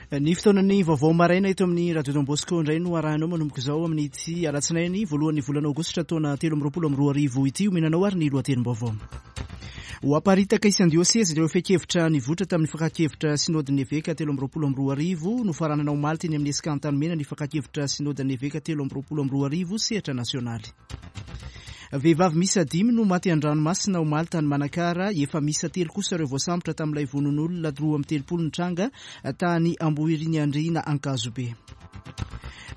Ny fotoanan'ny vaovao maraina eto amin'ny Radio Don Bosco indray no arahinao manomboka izao amin'ity alatsinainy voalohan'ny volana aogositra taona 2023 ity. Omena anao ary ny lohatenim-baovao. Ho aparitaka isan-diosezy ireo fehin-kevitra nivoitra tamin'ny fakan-kevitra Synodin'ny Eveka 2023. Nofaranana omaly teny amin'ny Esca Antanimena ny fakan-kevitra Synodin'ny Eveka 2023 sehatra nasionaly. Vehivavy miisa dimy no maty an-dranomasina omaly tany Manakara. Efa miisa telo kosa ireo voasambotra tamin'ilay vonoan'olona 32 nitranga tany Ambohiriniandriana Ankazobe.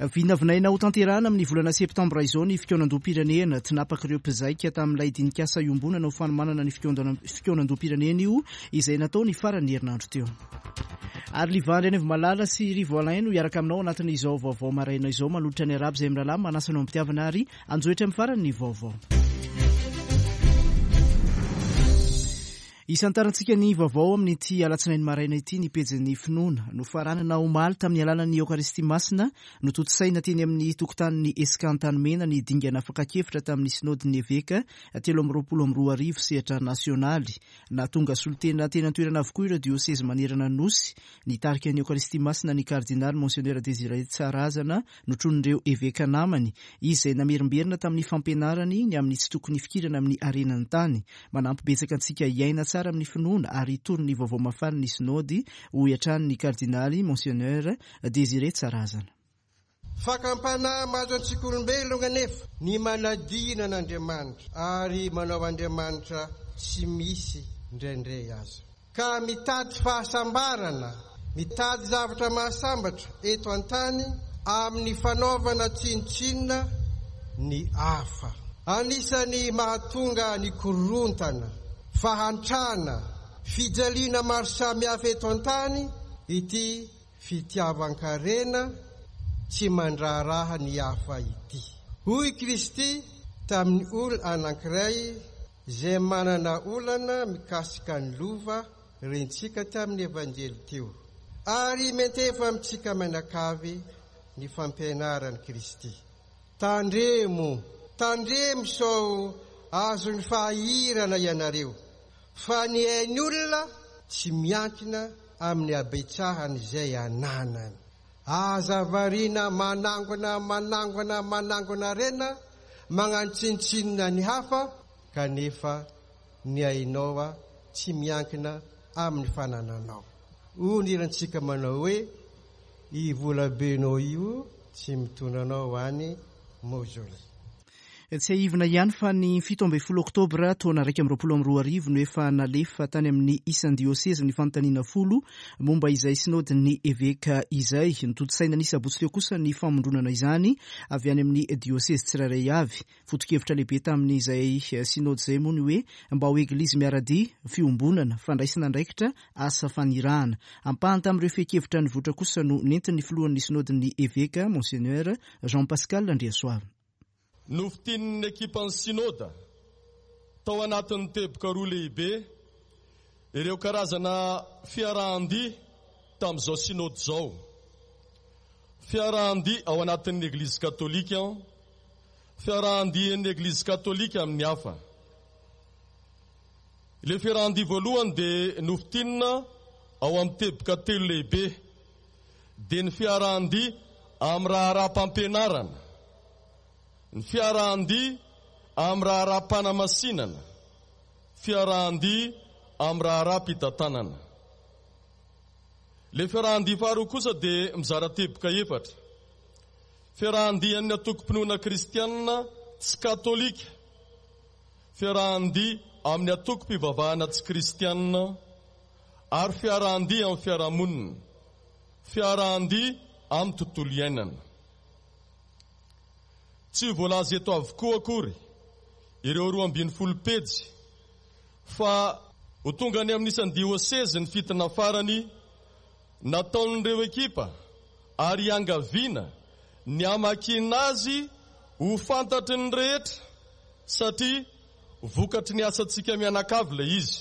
Vinavinaina ho tanterahana amin'ny volana septambra izao ny fikaonandoham-pirenena. Tinapak'ireo mpizaika tamin'ilay dinikasa iombonana ho fanomanana ny fikaonandoham-pirenena io izay natao ny faran'ny herinandro teo. Ary Liva Andrianaivomalala sy Rivo Alain no hiaraka aminao anatin'izao vaovao maraina izao manolotra ny arabo izay mirahalahy manasa anao am-pitiavana ary anjohitra amin'ny farany ny vaovao. Isantarantsika ny vaovao amin'ity alatsinainy maraina ity ny pejin'ny finoana. Nofaranana omaly tamin'ny alalan'ny Eokaristia Masina notontosaina teny amin'ny tokotanin'ny Esca Antanimena ny dingana fakan-kevitra tamin'ny Synodin'ny Eveka 2023 sehatra nasionaly. Nahatonga solontena teny an-toerana avokoa ireo diosezy manerana ny Nosy. Nitarika ny Eokaristia Masina ny Kardinaly Monsenera Désiré Tsarazana notronin'ireo eveka namany, izy izay namerimberina tamin'ny fampianarany ny amin'ny tsy tokony hifikirana amin'ny harenan'ny tany. Manampy betsaka antsika hiaina tsara amin'ny finoana ary hitory ny vaovao mahafaly ny Sinaody, hoy hatrany ny Kardinaly Monsenera Désiré Tsarazana. Fakam-panahy mahazo antsika olombelona anefa ny manadino an'Andriamanitra ary manao Andriamanitra tsy misy indraindray aza. Ka mitady fahasambarana, mitady zavatra mahasambatra eto an-tany amin'ny fanaovana tsinontsinona ny hafa. Anisan'ny mahatonga ny korontana, fahantrana, fijaliana maro samihafa eto an-tany ity fitiavan-karena tsy mandraharaha ny hafa ity. Hoy Kristy tamin'ny olona anankiray izay manana olana mikasika ny lova rentsika tamin'ny Evanjely teo, ary miantefa amintsika mianakavy ny fampianaran'i Kristy. Tandremo, tandremo sao azon'ny fahahirana ianareo, fa ny ain'ny olona tsy miankina amin'ny habetsahan'izay ananany. Aza variana manangona, manangona, manangona harena, magnano tsinontsinona ny hafa, kanefa ny ainao tsy miankina amin'ny fanananao. Hoy ny hirantsika manao hoe, I volabenao io tsy mitondra anao any mausolée. Tsiahivina ihany fa ny 17 oktobra taona 2021 no efa nalefa tany amin'ny isan-diosezy ny fanontaniana folo momba izay sinaodin'ny eveka izay. Notontosaina ny sabotsy teo kosa ny famondronana izany avy any amin'ny diosezy tsirairay avy. Foto-kevitra lehibe tamin'izay sinaody izay moa ny hoe mba ho eglizy miara-dia, fiombonana, fandraisana andraikitra, asa fanirahana. Ampahany tamin'ireo fehin-kevitra nivoitra kosa no nentin'ny filohan'ny sinaodin'ny eveka, Monseigneur Jean Pascal Andriasoavina. Nofintinin'ny ekipan'ny Synoda tao anatin'ny teboka roa lehibe ireo karazana fiarahan-dia tamin'izao Synoda izao, Fiarahan-dia ao anatin'ny Eglizy Katolika, fiarahan-dian'ny Eglizy Katolika amin'ny hafa. Ilay fiarahan-dia voalohany dia nofintinina ao amin'ny teboka telo lehibe, dia ny fiarahan-dia amin'ny raharaham-pampianarana, ny fiarahan-dia amin'ny raharaham-panamasinana, fiarahan-dia amin'ny raharaham-pitantanana. Ilay fiarahan-dia faharoa kosa dia mizara teboka efatra, fiarahan-dian'ny antokom-pinoana kristianina tsy katolika, fiarahan-dia amin'ny antokom-pivavahana tsy kristianina, ary fiarahan-dia amin'ny fiarahamonina, fiarahan-dia amin'ny tontolo iainana. Tsy voalaza eto avokoa akory ireo 12 pejy fa ho tonga any amin'ny isan'ny diosezy ny fitina farany nataon'ireo ekipa ary iangaviana ny hamakiana azy ho fantatry ny rehetra satria vokatry ny asantsika mianakavy ilay izy.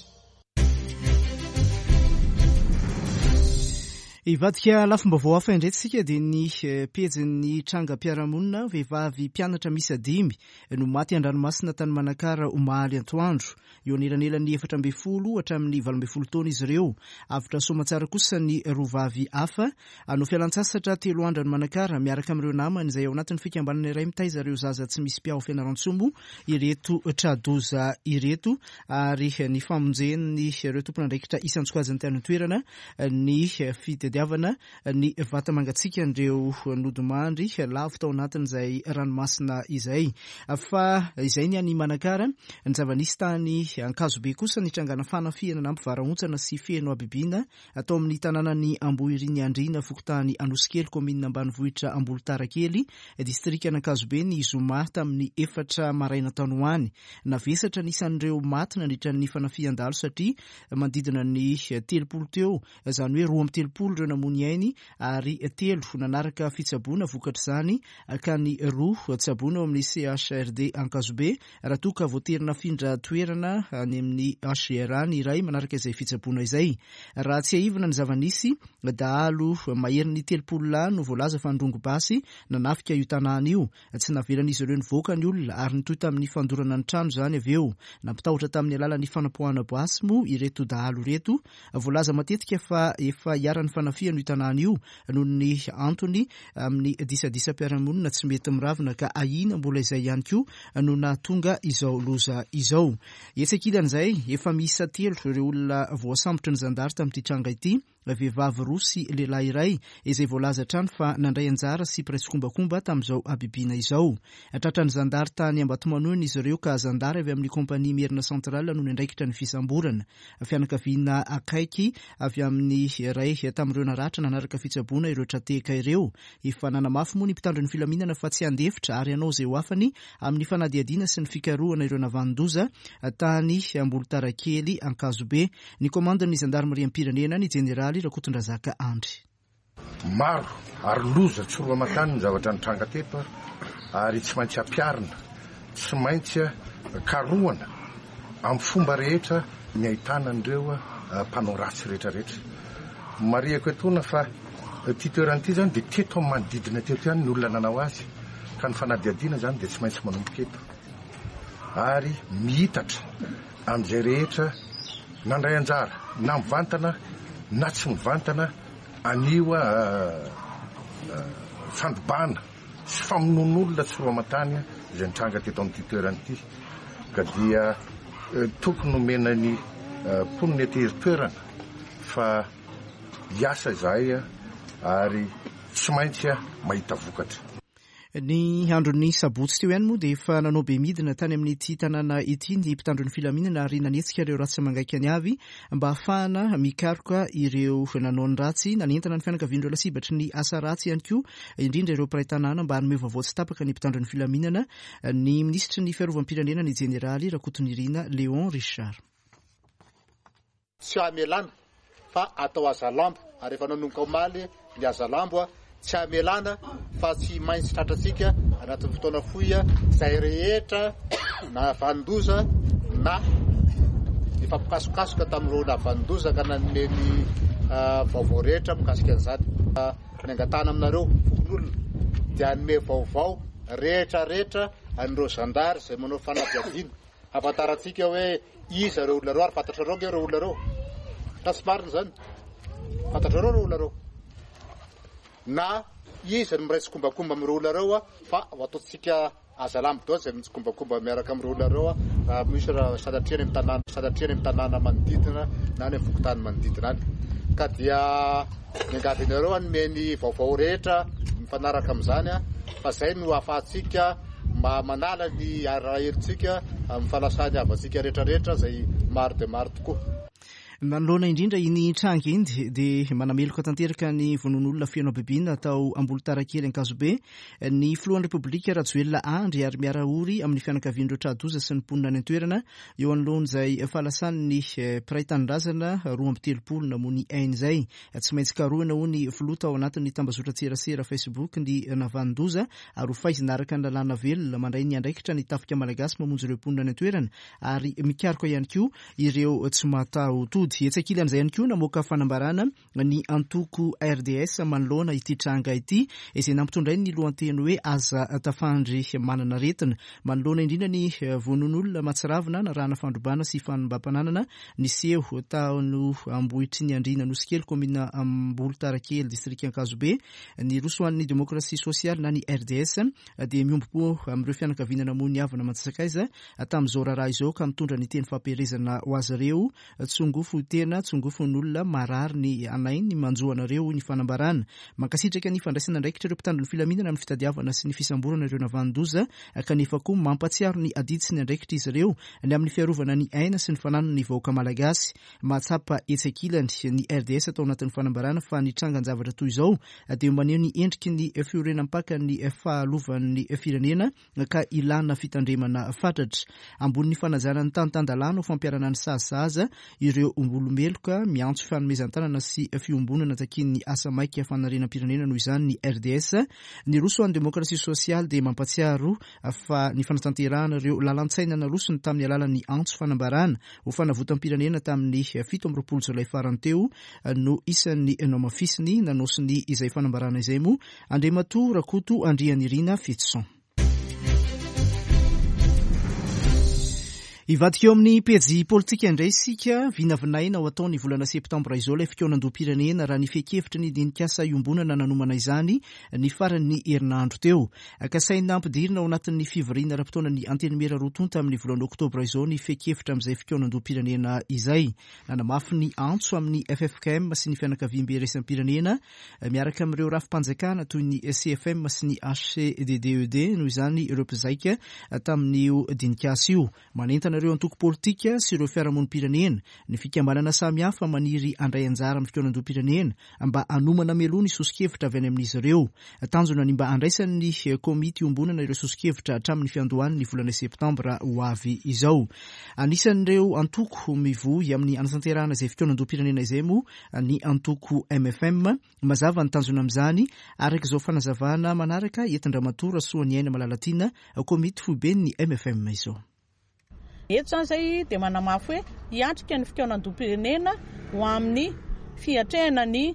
Hivadika lafim-baovao hafa indray tsika dia ny pejin'ny trangam-piarahamonina. Vehivavy mpianatra miisa dimy no maty an-dranomasina tany Manakara omaly antoandro. Eo anelanelan'ny 14 hatramin'ny 18 taona izy ireo. Avotra soamantsara kosa ny roa vavy hafa. Hanao fialantsasatra 3 andro any Manakara miaraka amin'ireo namany izay ao anatin'ny fikambanana iray mitaiza ireo zaza tsy misy mpiahy ao Fianarantsoa moa ireto tra-doza ireto, ary ny famonjen'ireo tompon'andraikitra isan-tsokajiny tany an-toerana ny fitadiavana ny vata-mangatsiakan'ireo nodimandry lavo tao anatin'izay ranomasina izay. Fa izay ny any Manakara. Ny zava-nisy tany Ankazobe kosa, nitrangana fanafihana nampivarahontsana sy feno habibiana tao amin'ny tanànan'i Ambohiriniandriana, fokontany Anosikely, kaominina ambanivohitra Ambolontarakely, distrikan'Ankazobe ny zoma tamin'ny 4 maraina tany ho any. Navesatra ny isan'ireo maty nandritra ny fanafihan-dahalo satria manodidina ny 30 teo, izany hoe 32 ireo namoy ny ainy ary 3 nanaraka fitsaboana vokatr'izany, ka ny 2 tsaboina ao amin'ny CHRD Ankazobe raha toa ka voatery nafindra toerana any amin'ny HGRA ny iray manaraka izay fitsaboana izay. Raha tsiahivina ny zava-nisy, dahalo maherin'ny 30 lahy no voalaza fa nidrongy basy nanafika io tanàna io. Tsy navelan'izy ireo nivoaka ny olona ary nitohy tamin'ny fandorana ny trano izany avy eo. Nampitahotra tamin'ny alalan'ny fanapoahana basy moa ireto dahalo ireto. Voalaza matetika fa efa iharan'ny fanafihana io tanàna io noho ny antony amin'ny disadisam-piarahamonina tsy mety miravina, ka ahiana mbola izay ihany koa no nahatonga izao loza izao. Etsy ankilan'izay, efa miisa 3 ireo olona voasambotry ny zandary tamin'ity tranga ity, vehivavy 2 sy lehilahy iray izay voalaza hatrany fa nandray anjara sy mpiray tsikombakomba tamin'izao habibiana izao. Tratran'ny zandary tany Ambatomanoina izy ireo, ka zandary avy amin'ny kompania Merina Central no niandraikitra ny fisamborana. Fianakaviana akaiky avy amin'ny iray tamin'ireo naratra nanaraka fitsaboana ireo tra-tehaka ireo. Efa nanamafy moa ny mpitandro ny filaminana fa tsy handefitra ary hanao izay ho afany amin'ny fanadihadiana sy ny fikarohana ireo navanon-doza tany Ambolontarakely Ankazobe. Ny komandin'ny zandarimariam-pirenena, ny jeneraly Rakotondrazaka Andry. Maro ary loza tsy roa aman-tany ny zavatra nitranga teto ary tsy maintsy ampiharina, tsy maintsy karohana amin'ny fomba rehetra ny ahitana an'ireo mpanao ratsy rehetrarehetra. Marihako etoana fa ity toerana ity izany dia teto amin'ny manodidina teto ihany ny olona nanao azy ka ny fanadihadiana izany dia tsy maintsy manomboka eto ary miitatra amin'izay rehetra nandray anjara na mivantana na tsy mivantana an'io fandrobana sy famonoan'olona tsy roa aman-tany izay nitranga teto amin'ity toerana ity, ka dia tokony nomena ny mponina ety toerana fa hiasa izahay ary tsy maintsy mahita vokatra. Ny andron'ny sabotsy teo ihany moa dia efa nanao be midina tany amin'ity tanàna ity ny mpitandro ny filaminana ary nanetsika ireo ratsy mangaikany avy mba hahafahana mikaroka ireo nanao ny ratsy. Nanentana ny fianakavian'ireo lasibatry ny asa ratsy ihany koa, indrindra ireo mpiray tanàna, mba hanome vaovao tsy tapaka ny mpitandro ny filaminana ny minisitry ny fiarovam-pirenena, ny jeneraly Rakotonirina Léon Richard. Tsy hamelana fa atao hazalambo, ary efa nanomboka omaly ny hazalambo, tsy hamelana fa tsy maintsy tratrantsika anatin'ny fotoana fohy izay rehetra nahavanon-doza na nifampikasokasoka tamin'ireo nahavanon-doza ka nanome ny vaovao rehetra mikasika an'izany. Ny angatahana aminareo fokonolona dia hanome vaovao rehetra rehetra an'ireo zandary izay manao fanadihadiana. Ahafantarantsika hoe iza ireo olona ireo ary fantatrareo ange ireo olona ireo. Sa tsy marina izany? Fantatrareo ireo olona ireo. Na iza no miray tsikombakomba amin'ireo olona ireo fa ho ataontsika azalambo daholo izay mitsikombakomba miaraka amin'ireo olona ireo raha misy raha sanatria any amin'ny tanàna, sanatria any amin'ny tanàna manodidina na any amin'ny fokontany manodidina any. Ka dia miangavy anareo hanome ny vaovao rehetra mifanaraka amin'izany fa izay no ahafahantsika mba manala ny arahelintsika amin'ny fanasan'ny havantsika rehetra rehetra izay maro dia maro tokoa. Manoloana indrindra iny tranga iny dia manameloka tanteraka ny vonoan'olona feno habibiana tao Ambolontarakely Ankazobe ny filohan'ny Repoblika Rajoelina Andry ary miara-ory amin'ny fianakavian'ireo tra-doza sy ny mponina any an-toerana eo anoloan'izay fahalasan'ny mpiray tanindrazana 32 namoy ny ainy izay. Tsy maintsy karohina hoy ny filoha tao anatin'ny tambazotran-tserasera Facebook ny navanon-doza ary ho faizina araka ny lalàna velona. Mandray ny andraikitra ny tafika malagasy mamonjy ireo mponina any an-toerana ary mikaroka ihany koa ireo tsy mataho-tody. fanafody. Etsy ankilan'izay ihany koa, namoaka fanambarana ny antoko RDS manoloana ity tranga ity, izay nampitondrainy ny lohanteny hoe Aza tafandry manana aretina. Manoloana indrindra ny vonoan'olona mahatsiravina narahana fandrobana sy fanimbam-pananana niseho tao Ambohitriniandriana Anosikely, kaominina Ambolotarakely, distrika Ankazobe, ny Roso ho an'ny Demokrasia Sosialy na ny RDS dia miombom-po amin'ireo fianakaviana namoy ny havana aman-tsakaiza tamin'izao raharaha izao ka mitondra ny teny fampielezana ho azy ireo, Tsongofo tena, tsongofo ny olona, marary ny anay ny manjo anareo, hoy ny fanambarana. Mankasitraka ny fandraisana andraikitra ireo mpitandro ny filaminana amin'ny fitadiavana sy ny fisamborana ireo navanon-doza kanefa koa mampatsiaro ny adidy sy ny andraikitr'izy ireo ny amin'ny fiarovana ny aina sy ny fananan'ny vahoaka malagasy. Mahatsapa etsy ankilany ny RDS tao anatin'ny fanambarana fa ny trangan-javatra toy izao dia maneho ny endriky ny fiorenam-pakan'ny fahalovan'ny firenena ka ilana fitandremana fatratra. Ambonin'ny fanajana ny tany tan-dalàna ho fampiharana ny sazy sahaza ireo olomeloka, miantso fanomezan-tanana sy fiombonana takian'ny asa maika fanarenam-pirenena noho izany ny RDS. Niroso ho an'ny demokrasia sosialy dia mampatsiaro fa ny fanatanterahana ireo lalan-tsaina narosony tamin'ny alalan'ny antso fanambarana ho fanavotam-pirenena tamin'ny 27 jolay farany teo no isan'ny nohamafisiny nanao sonia izay fanambarana izay moa Andriamatoa Rakoto Andrianirina Fetison. Hivadika eo amin'ny pejy politika indray isika. Vinavinaina ho atao ny volana septambra izao ilay fikaonandoham-pirenena raha ny fehi-kevitry ny dinikasa iombonana nanomana izany ny faran'ny herinandro teo. Kasaina hampidirina ao anatin'ny fivoriana ara-potoanan'ny Antenimiera roa tonta amin'ny volana oktobra izao ny fehi-kevitra amin'izay fikaonandoham-pirenena izay. Nanamafy ny antso amin'ny ffkm sy ny fianakaviambe iraisam-pirenena miaraka amin'ireo rafi-panjakana toy ny CFM sy ny HCDDED noho izany ireo mpizaika tamin'io dinikasa io. Manentana ireo antoko politika sy ireo fiarahamonim-pirenena, ny fikambanana samihafa maniry handray anjara amin'ny fikaonandoham-pirenena mba hanomana mialoha ny soso-kevitra avy any amin'izy ireo. Tanjona ny mba handraisan'ny komity iombonana ireo soso-kevitra hatramin'ny fiandohan'ny volana septambra ho avy izao. Anisan'ireo antoko mivoy amin'ny hanatanterahana izay fikaonandoham-pirenena izay moa ny antoko mfm. Mazava ny tanjona amin'izany, araka izao fanazavana manaraka entin-dRamatoa Rasoaniaina Malalatiana, komity foiben'ny mfm izao. Eto izany izay dia manamafy hoe hiatrika ny fikaonandoham-pirenena ho amin'ny fiatrehana ny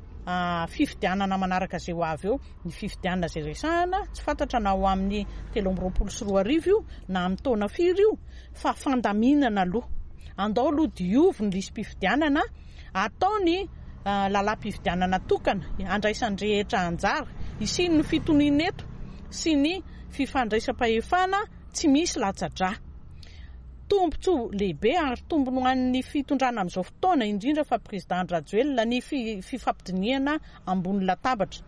fifidianana manaraka izay ho avy eo. Ny fifidianana izay resahana, tsy fantatra na ho amin'ny 2023 io na amin'ny taona firy io fa fandaminana aloha. Andao aloha diovy ny lisi-pifidianana. Atao ny lalam-pifidianana tokana handraisan'ny rehetra anjara, hisian'ny fitoniana eto sy ny fifandraisam-pahefana tsy misy latsa-drà. Tombontsoa lehibe ary tombony ho an'ny fitondrana amin'izao fotoana, indrindra fa Président Andry Rajoelina, ny fifampidinihana ambony latabatra.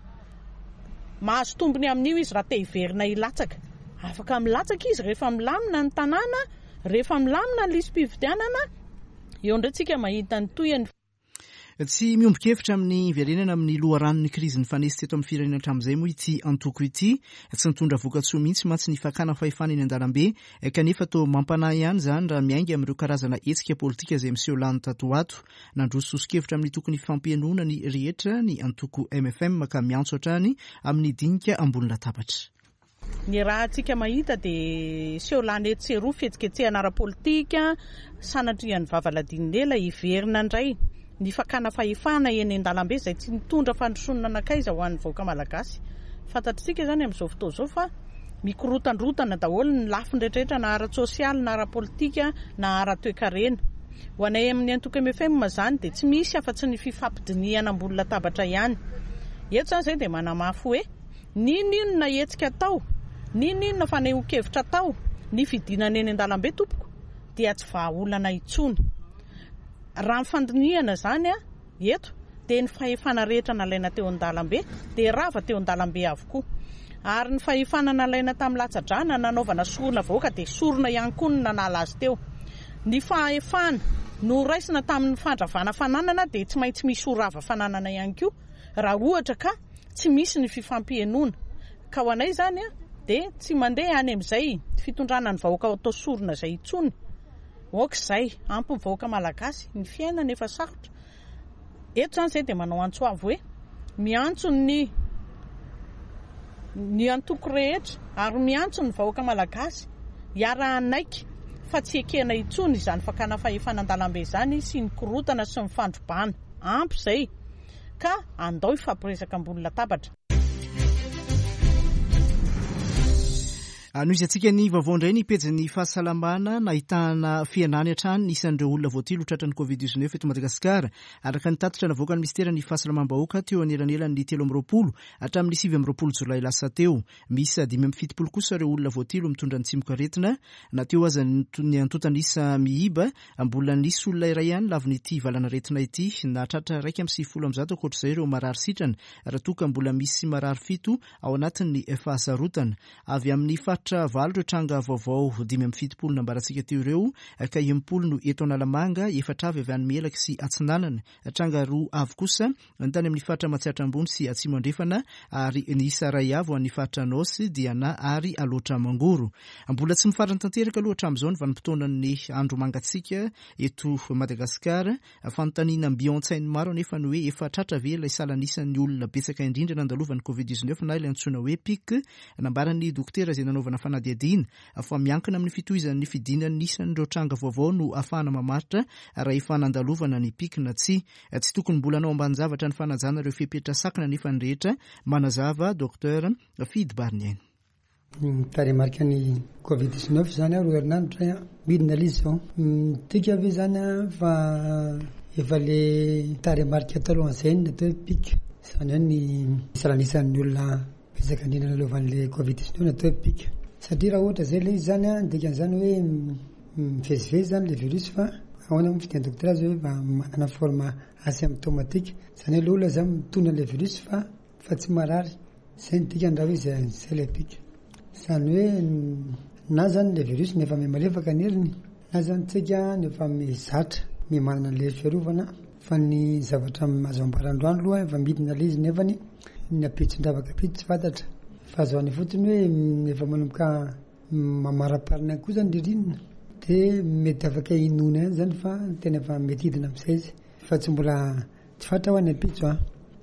Mahazo tombony amin'io izy raha te hiverina hilatsaka. Afaka milatsaka izy rehefa milamina ny tanàna, rehefa milamina ny lisi-pifidianana. Eo indray tsika mahita ny tohiny. Tsy miombon-kevitra amin'ny hiverenana amin'ny loharanon'ny krizy nifanesy teto amin'ny firenena hatramin'izay moa ity antoko ity. Tsy nitondra vokatsoa mihitsy mantsy ny fakana fahefana eny an-dalambe kanefa toa mampanahy ihany izany raha miainga amin'ireo karazana hetsika politika izay miseho lany tato ho ato. Nandroso soso-kevitra amin'ny tokony hifampihenoana ny rehetra ny antoko mfm ka miantso hatrany amin'ny dinika ambony latabatra. Ny rahantsika mahita dia seho lany etsy sy eroa, fihetsiketsehana ara-politika, sanatrian'ny vava ladin'ela, hiverina indray ny fakana fahefana eny an-dalambe izay tsy nitondra fandrosoana nankaiza ho an'ny vahoaka malagasy. Fantatr'isika izany amin'izao fotoana izao fa mikorotandrotana daholo ny lafiny rehetrarehetra na ara-tsosialy na ara-politika na ara-toekarena. Ho anay amin'ny antoko mfm izany dia tsy misy afa-tsy ny fifampidinihana ambony latabatra ihany. Eto izany izay dia manamafy hoe. N'inon'inona hetsika atao, n'inon'inona fanehoan-kevitra atao, ny fidinana eny an-dalambe tompoko dia tsy vahaolana intsony. Raha ny fandinihana izany eto dia ny fahefana rehetra nalaina teo an-dalambe dia rava teo an-dalambe avokoa. Ary ny fahefana nalaina tamin'ny latsa-drà na nanaovana sorona vahoaka dia sorona ihany koa no nanala azy teo. Ny fahefana noraisina tamin'ny fandravana fananana dia tsy maintsy misy ho rava fananana ihany koa raha ohatra ka tsy misy ny fifampihenoana ka ho anay izany dia tsy mandeha any amin'izay fitondrana ny vahoaka atao sorona izay intsony. Ok izay, ampy ny vahoaka malagasy, ny fiainana efa sarotra. Eto izany izay dia manao antso avo hoe miantso ny ny antoko rehetra ary miantso ny vahoaka malagasy hiara-hanaiky. fa tsy ekena intsony izany fakana fahefana an-dalambe izany sy ny korontana sy ny fandrobana. Ampy izay ka andao hifampiresaka ambony latabatra. Anohizantsika ny vaovao indray ny pejin'ny fahasalamana nahitana fihenany hatrany ny isan'ireo olona voatily ho tratran'ny Covid 19 eto Madagasikara. Araka ny tatitra navoakan'ny minisiteran'ny Fahasalamam-bahoaka teo anelanelan'ny 23 hatramin'ny 29 jolay lasa teo. Miisa 75 kosa ireo olona voatily ho mitondra ny tsimokaretina. Na teo aza ny antontan'isa miiba, mbola nisy olona iray ihany lavon'ity valanaretina ity. Nahatratra 191 ankoatr'izay ireo marary sitrana, raha toa ka mbola misy marary fito ao anatin'ny fahasarotana. Avy amin'ny faritra valo ireo tranga vaovao 75 nambarantsika teo ireo, ka 60 no eto Analamanga, efatra avy avy any Melaky sy Atsinanana, tranga roa avy kosa ny tany amin'ny faritra Matsiatra Ambony sy Atsimo Andrefana ary ny isa iray avy ho an'ny faritra Anôsy, Diana ary Alaotra Mangoro. Mbola tsy mifarana tanteraka aloha hatramin'izao ny vanim-potoanan'ny andro mangatsiaka eto Madagasikara. Fanontaniana mby ao an-tsain'ny maro anefa ny hoe efa tratra ve ilay salanisan'ny olona betsaka indrindra nandalovan'ny Covid 19 na ilay antsoina hoe pic? Nambaran'ny dokotera izay nanaovana fanadihadiana fa miankina amin'ny fitohizan'ny fidinan'ny isan'ireo tranga vaovao no ahafahana mamaritra raha efa nandalovana ny pic na tsia. Tsy tokony mbola hanao ambanin-javatra ny fanajana ireo fepetra sakana anefa ny rehetra, manazava Docteur Fidy Bariniaina. Tarehimarika ny Covid 19 izany aho roa herinandro izay an, midina ilay izy izao. Midika ve izany an fa efa le tarehimarika talohan'izay no atao hoe pic, izany hoe ny salanisan'ny olona betsaka indrindra nalovan'ilay Covid 19 no atao hoe pic. Satria raha ohatra izay ilay izy izany an, dikan'izany hoe mivezivezy izany ilay virus fa ahoana moa ny fitenin'ny dokotera azy hoe manana forme asymptomatique, izany hoe ilay olona izany mitondra an'ilay virus fa fa tsy marary. Zay ny dikany raha hoe zay zay ilay pic. Izany hoe na zany ilay virus no efa miha-malefaka ny heriny, na zany tsika no efa mizatra miha-manana an'ilay hery fiarovana, fa ny zavatra azo ambara androany aloha efa midina ilay izy nefany ny ampitso-dravaka ampitso tsy fantatra. Fa azo an'ny fotsiny hoe efa manomboka mamaraparana ihany koa zany ririnina dia mety afaka inoana ihany zany fa tena efa mety hidina amin'izay izy fa tsy mbola Tsy fantatra hoa ny ampitso an!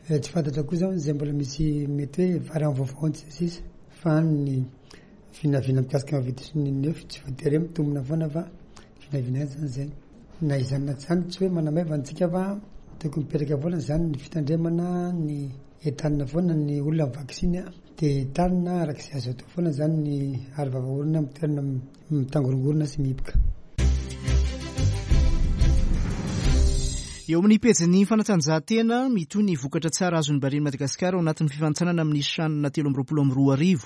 Tsy fantatra koa zao izay mbola misy mety hoe variant vaovao sy ny sisa fa ny vinavina mikasika ny covid sy ny nefo tsy voatery hoe mitombina foana fa vinavina ihany zany zay. Na izany na tsy izany tsy hoe manamaivana antsika fa tokony mipetraka foana zany ny fitandremana ny entanina foana ny olona amin'ny vaksiny an, dia entanina araka izay azo atao foana zany ny aro vava orona amin'ny toerana Mitangorongorona sy mihiboka. Eo amin'ny pejin'ny fanatanjahantena, mitohy ny vokatra tsara azon'ny Barean'i Madagasikara ao anatin'ny fifanintsanana amin'ny CHAN 2023.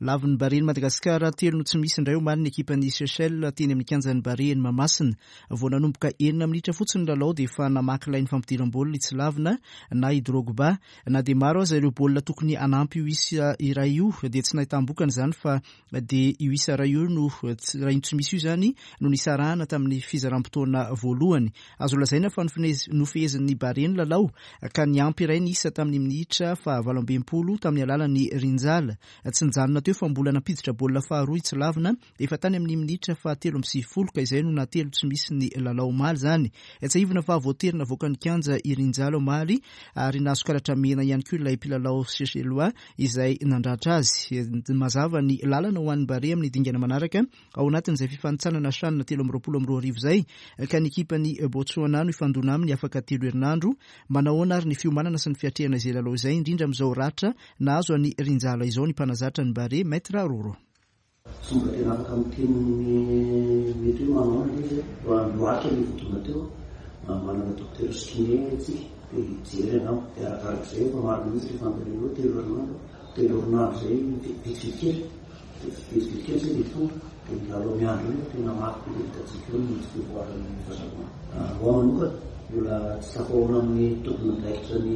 Lavin'ny Barean'i Madagasikara telo no tsy misy indray omaly ny ekipan'i Seychelles teny amin'ny kianjan'ny Barea eny Mahamasina. Vao nanomboka enina minitra fotsiny ny lalao dia efa namaky lay ny fampidiram-baolina i Tsilavina na i Drogba. Na dia maro aza ireo baolina tokony hanampy io isa iray io dia tsy nahitam-bokany izany fa dia io isa iray io no raha io tsy misy io izany no nisarahana tamin'ny fizaram-potoana voalohany. Azo lazaina fa nofehezin'ny Barea ny lalao ka niampy iray ny isa tamin'ny minitra faha-68 tamin'ny alalan'i Rinjala. Tsy nijanona teo fa mbola nampiditra baolina faharoa i Tsilavina efa tany amin'ny minitra faha-93 ka izay no naha-telo tsy misy ny lalao omaly izany. Tsiahivina fa voatery navoakan'ny kianja i Rinjala omaly ary nahazo karatra mena ihany koa ilay mpilalao Seychellois izay nandratra azy. Mazava ny lalana ho an'ny Barea amin'ny dingana manaraka ao anatin'izay fifanintsanana CHAN 2023 izay ka ny ekipan'i Botswana no hifandona aminy afaka telo herinandro. Manahoana ary ny fiomanana sy ny fiatrehana izay lalao izay, indrindra amin'izao ratra nahazo an'i Rinjala izao ny mpanazatra ny Barea, Maître Roro. Tsy mbola tena afaka miteny mety hoe manao ahoana ilay izy fa loatra ilay vao tonga teo manana dokotera sy kiné tsika dia hijery angamba dia arakarak'izay efa maro mihitsy ilay fanontaniana hoe telo herinandro telo herinandro izay vetivety kely dia vetivety kely izay dia tonga dia ny lalao miandry eo nefa tena mafy be dia hitantsika eo ny tsy fivoaran'ny fahasalamana. Ho ahy manokana mbola tsy tafahoana amin'ny tompon'andraikitra ny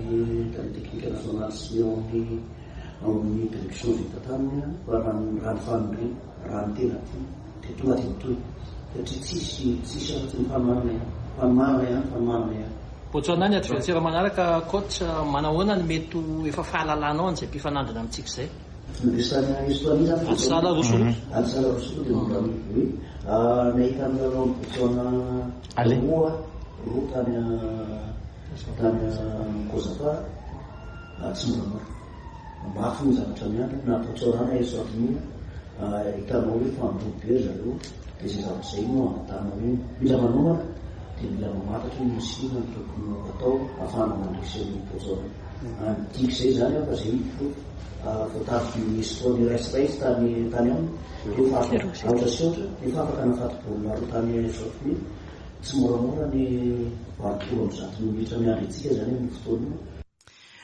tale teknika nasionaly sy ny ao amin'ny Ao amin'ny direction vita taminy aho fa raha ny raha ny faniriana, raha ny tena tiana dia tonga dia mitohy satria tsisy tsisy afa-tsy ny fanohanana ihany, fanohanana ihany, fanohanana ihany. Botswana ny adversaire manaraka coach, manahoana ny mety ho efa fahalalanao an'izay mpifanandrina amintsika izay? Nandresy tany Estonie zany Ady sahala roa sy roa. Ady sahala roa sy roa dia mbola oui. Nahita ny lalaon'i Botswana roa roa tany tany Kozafa. Tsy moramora. Mafy ny zavatra miandry na Botswana na Eswatini. Hitanao hoe efa handrobo be ry zareo dia izay zavatra izay no angatahana hoe mila manomana dia mila mamantatra hoe inona sy inona no tokony ho atao ahafahana mandresy an'io poison io. Midika izay izany fa izay ny porofo voatariky ny score iray sy iray izy tany tany aminy rehefa afaka aotra sy aotra nefa afaka nahafaty baolina roa tany Sophie. Tsy moramora ny 180 minitra miandry antsika izany amin'io fotoana io.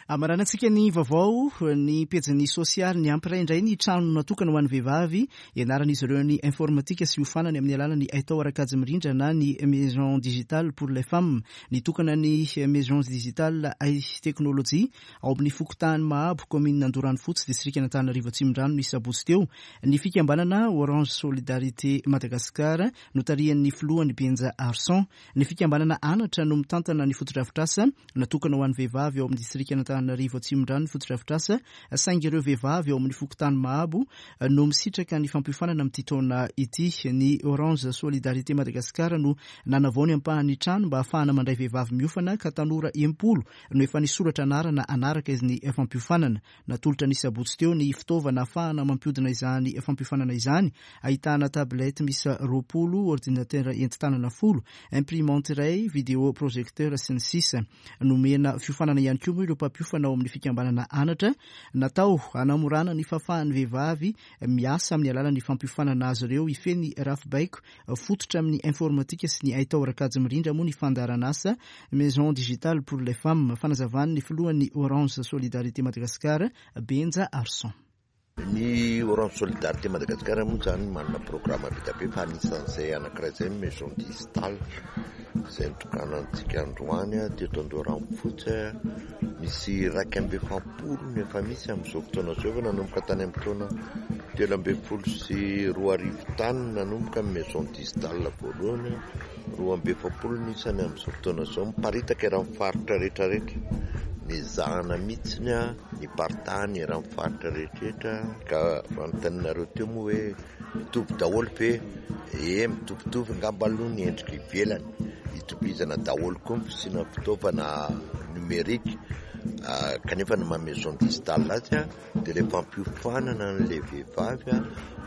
Amaranantsika ny vaovao, ny pejin'ny sosialy niampy iray indray ny trano natokana ho an'ny vehivavy ianaran'izy ireo ny informatika sy hiofanany amin'ny alalan'ny haitao ara-kajy mirindra na ny Maison Digitale pour les Femmes. Nitokana ny Maison Digitale Hay Teknolojia ao amin'ny fokontany Mahabo, kaominina Andoranofotsy, distrikan'Antananarivo Atsimondrano ny sabotsy teo ny fikambanana Orange Solidarité Madagascar notarihan'ny filohany Benja Arson. Ny fikambanana Anatra no mitantana ny fotodrafitrasa natokana ho an'ny vehivavy ao amin'ny distrikan'Antananarivo Atsimondrano ny fotodrafitrasa saingy ireo vehivavy ao amin'ny fokontany Mahabo no misitraka ny fampiofanana amin'ity taona ity. Ny Orange Solidarité Madagascar no nanavao ny ampahan'ny trano mba hahafahana mandray vehivavy miofana ka tanora 60 no efa nisoratra anarana hanaraka ny fampiofanana. Natolotra ny sabotsy teo ny fitaovana ahafahana mampihodina izany fampiofanana izany, ahitana tablette miisa 20, ordinateur entin-tanana folo, imprimante iray, video projecteur sy ny sisa. Nomena fiofanana ihany koa moa ireo mpampiofana ao amin'ny fikambanana Anatra, natao hanamorana ny fahafahan'ny vehivavy miasa amin'ny alalan'ny fampiofanana azy ireo hifehy ny rafi-baiko fototra amin'ny informatika sy ny haitao ara-kajy mirindra moa ny fandaharanasa Maison Digitale pour les Femmes, fanazavan'ny filohan'ny Orange Solidarité Madagascar, Benja Arson. Ny Orange Solidarité Madagascar moa izany manana programa be dia be fa anisan'izay anankiray izay ny Maison Digitale izay notokanantsika androany teto Andoharanofotsy. Misy 41 no efa misy amin'izao fotoana izao, efa nanomboka tany amin'ny taona 2013 tany nanomboka ny Maison Digitale voalohany. 42 ny isany amin'izao fotoana izao, miparitaka eran'ny faritra rehetrarehetra. Nezahana mihitsy niparitahany eran'ny faritra rehetrarehetra ka fanontanianareo teo moa hoe mitovy daholo ve? Ee, mitovitovy angamba aloha ny endrika ivelany. Itovizana daholo koa ny fisiana fitaovana numérique kanefa ny maha maison digitale azy dia ilay fampiofanana an'ilay vehivavy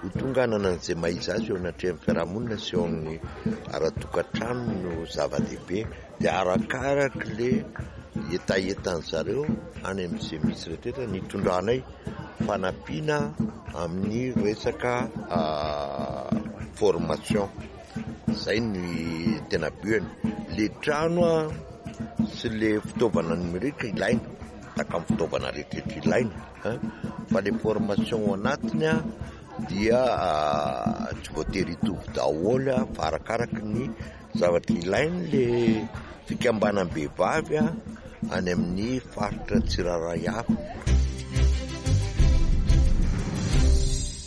ho tonga hanana an'izay maha izy azy eo anatrehan'ny fiarahamonina sy eo amin'ny ara-tokantrano no zava-dehibe. Dia arakaraka ilay hetahetan-dry zareo any amin'izay misy rehetra ny hitondranay fanampiana amin'ny resaka formation. Izay ny tena but-ny. Ilay trano sy ilay fitaovana numérique ilaina. Tahaka ny fitaovana rehetra ilaina fa le formation ao anatiny dia tsy voatery hitovy daholo fa arakaraky ny zavatra ilain'le fikambanam-behivavy any amin'ny faritra tsirairay avy.